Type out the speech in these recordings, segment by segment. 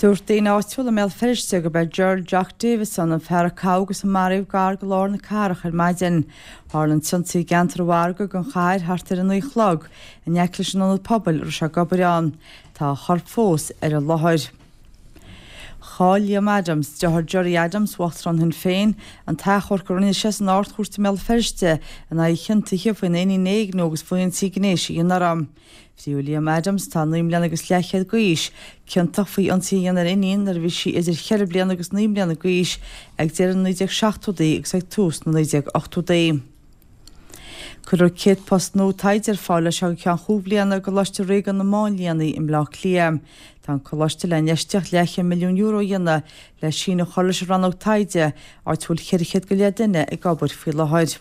Dúirt daoine áitiúla i mBéal Feirste gurb é Gerald Jock Davison an fear a gabhadh agus a maraíodh gar do lár na cathrach ar maidin. Tharla an t-ionsaí i gceantar an mhargaidh den chathair thart ar a 9 a chlog, in aice leis an ionad pobail a raibh sé ag obair ann. Tá a chorp fós ar an láthair. Chaill Liam Adams, deartháir Gerry Adams, Uachtarán Shinn Féin, an t-achomharc a rinne sé san Ard-Chúirt i mBéal Feirste in aghaidh a chiontaithe faoina iníon a éigniú agus faoi ionsaí gnéis a dhéanamh uirthi. Fríodh Liam Adams, atá 9 mbliana agus leathchéad d'aois, ciontach faoi ionsaí a dhéanamh ar a iníon nuair a bhí sí idir cheithre bliana agus 9 mbliana d'aois ag deireadh na 1970idí agus ag tús na 1980idí. Cuirfear 100 post nua taighde ar fáil as seo go ceann chúig bhliana i gColáiste Ríoga na Máinlianna i mBleá Cliath. Tá an coláiste le infheistíocht leathchéad €1,000,000 a dhéanamh le síneadh a chur leis an rannóg taighde, áit a bhfuil 400 go leith duine ag obair faoi láthair.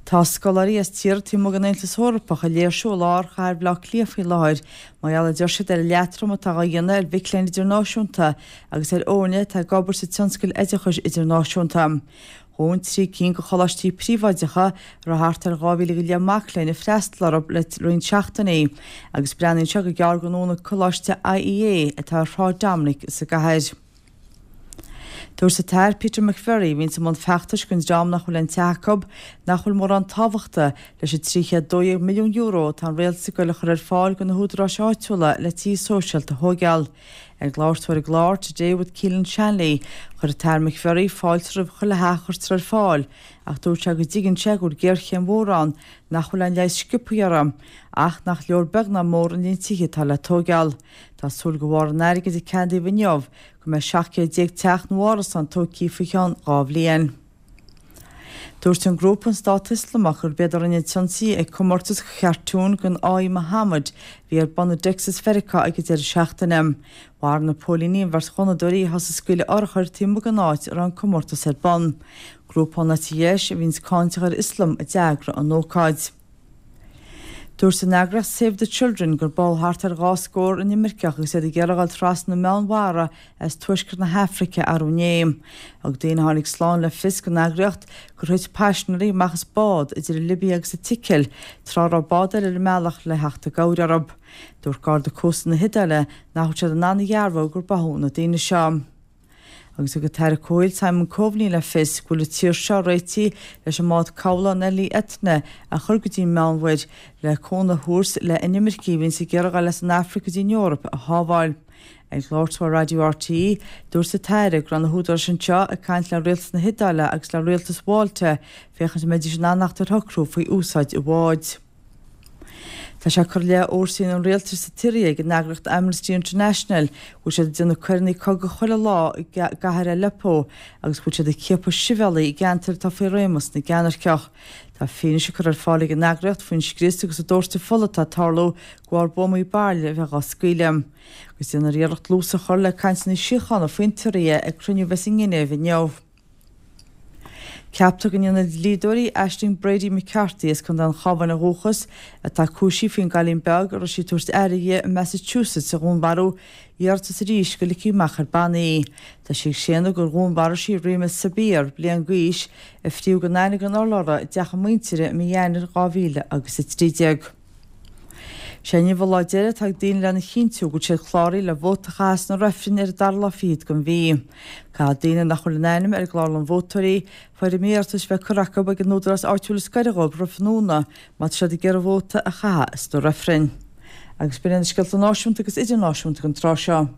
Tá scoláirí as tíortha taobh amuigh den Aontas Eorpach ag léirsiú i lár chathair Bhaile Átha Cliath faoi láthair mar gheall, a deir siad, ar an leatrom atá á dhéanamh ar mhic léinn idirnáisiúnta agus ar fhoirne atá ag obair sa tionscal oideachais idirnáisiúnta. Dhún 3 cinn de choláistí príobháideacha a raibh thart ar 2,000 go leith mac léinn ag freastal orthu le roinnt seachtainí agus breathnaíonn sé gur gearr go ndúnfaidh Coláiste IEA atá ar Shráid Dominic sa gcathair. Dúirt an tAire Peter McVerry, a bhíonns i mbun feachtais don dream nach bhfuil aon teach acu, nach bhfuil mórán tábhachta leis an €312 milliún atá an rialtas ag goil a chur ar fáil do na húdaráis áitiúla le tithe sóisialta a thóigeáil. Ag labhairt dó ar an gclár Today with Keelan Shanley, chuir an tAire McVerry fáilte roimh chuile theach a chuirtear ar fáil ach dúirt sé go dtuigeann sé go bhfuil géarchéim mhór ann nach bhfuil aon leigheas sciobtha uirthi ach nach leor beag ná mór an líon tithe atá le tóigeáil. Tá súil de bharr an airgid a ceadaíodh inniu go mbeidh 17 céad teach nó árasán tógtha faoi cheann 2 bhliain. Dúirt an grúpa an Stát Ioslamach gurb iad a rinne an t-ionsaí ag comórtas chartún den fháidhe Muhammad a bhí ar bun i dTexas Mheiriceá ag an deireadh seachtaine. Mharaigh na póilíní an bheirt ghunnadóirí a thosaigh ag scaoileadh urchair taobh amuigh den áit a raibh an comórtas ar bun. Grúpa ón eite dheis a bhíonns cáinteach ar Ioslam a d'eagraigh an ócáid. Dúirt an eagraíocht Save the Children gur bádh thart ar 2 scór inimirceach agus iad ag iarraidh a dhul trasna na Meánmhara as tuaisceart na hAfraice arú inné. Thug daoine a tháinig slán le fios don eagraíocht gur thuit paisinéirí amach as bád idir an Libia agus an tSicil tráth a raibh bád eile ar a mbealach le theacht i gcabhair orthu. Dúirt Garda Cósta na hIodáile nach bhfuil siad in ann a dhearbhú gur báthadh na daoine seo. Agus thug an tAire Comhshaoil Simon Coveney le fios go bhfuil an tír seo réitithe leis an mbád cabhlaigh an Elli Etna a chur go dtí an Meánmhuir le cúnamh a thabhairt le inimircigh a bhíonns ag iarraidh a dhul as an Afraic go dtí an Eoraip a shábháil. Ag labhairt dó ar Raidió RTÉ, dúirt an tAire go raibh na húdaráis anseo ag caint le rialtas na hIodáile agus le rialtas Mhálta féachaint an mbeidís in ann theacht ar shocrú faoi úsáid an bháid. Tá sé curtha i leith fhórsaí an rialtais sa tSiria ag an eagraíocht Amnesty International go bhfuil siad ag déanamh coireanna cogaidh chuile lá i gcathair Aleppo agus go bhfuil siad ag ciapadh sibhialaigh i gceantair atá faoi réimeas na gceannairceach. Tá fianaise curtha ar fáil ag an eagraíocht faoin scrios agus an dóirteadh fola atá ag tarlú de bharr buamaí bairille a bheith á scaoileadh. Agus déanfar iarracht dlús a chur le cainteanna síochána faoin tSiria ag cruinniú a bheas i nGinéiv inniu. Ceaptar go ndéanfaidh a dlíodóirí Aisling Brady McCarthy as Contae an Chabháin ó dhúchas, atá cúisithe faoin gcailín beag a raibh sí ag tabhairt aire di i Massachusetts a dhúnmharú, iarratas arís go ligfí amach ar bannaí í. Tá sí ag séanadh gur dhúnmharaigh sí Reema Sabir, bliain d'aois, a fríodh gan aithne gan urlabhra i dteach a muintire i mí Eanáir 2013. Sé inniu an lá deiridh atá ag daoine lena chinntiú go bhfuil siad cláraithe le vóta a chaitheamh sna reifrinn ar an dara lá fichead den mhí. Caithfidh daoine nach bhfuil a n-ainm ar an gclárlann vótóirí, foirm iarratais bheith curtha acu ag an údarás áitiúil is gaire dhóibh roimh tráthnóna má tá siad ag iarraidh vóta a chaitheamh sna reifrinn. Agus b'in iad na scéalta náisiúnta agus idirnáisiúnta don tráth seo.